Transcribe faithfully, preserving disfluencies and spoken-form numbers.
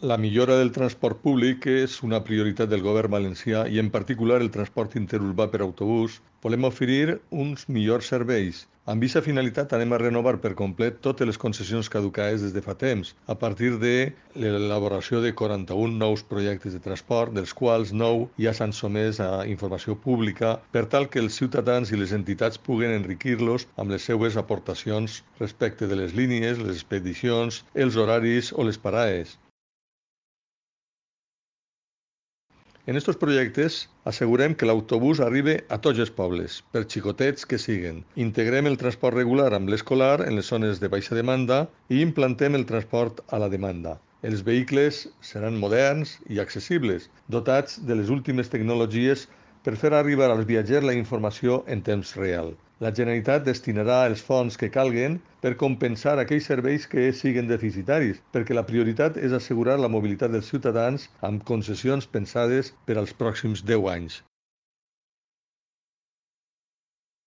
La millora del transport públic és una prioritat del govern valencià i en particular el transport interurbà per autobús. Volem oferir uns millors serveis. Amb aquesta finalitat anem a renovar per complet totes les concessions caducades des de fa temps, a partir de l'elaboració de quaranta-un nous projectes de transport, dels quals nou ja s'han sotmès a informació pública per tal que els ciutadans i les entitats puguen enriquir-los amb les seues aportacions respecte de les línies, les expedicions, els horaris o les parades. En estos projectes assegurem que l'autobús arribi a tots els pobles, per xicotets que siguen. Integrem el transport regular amb l'escolar en les zones de baixa demanda i implantem el transport a la demanda. Els vehicles seran moderns i accessibles, dotats de les últimes tecnologies per fer arribar als viatgers la informació en temps real. La Generalitat destinarà els fons que calguen per compensar aquells serveis que siguen deficitaris, perquè la prioritat és assegurar la mobilitat dels ciutadans amb concessions pensades per als pròxims deu anys.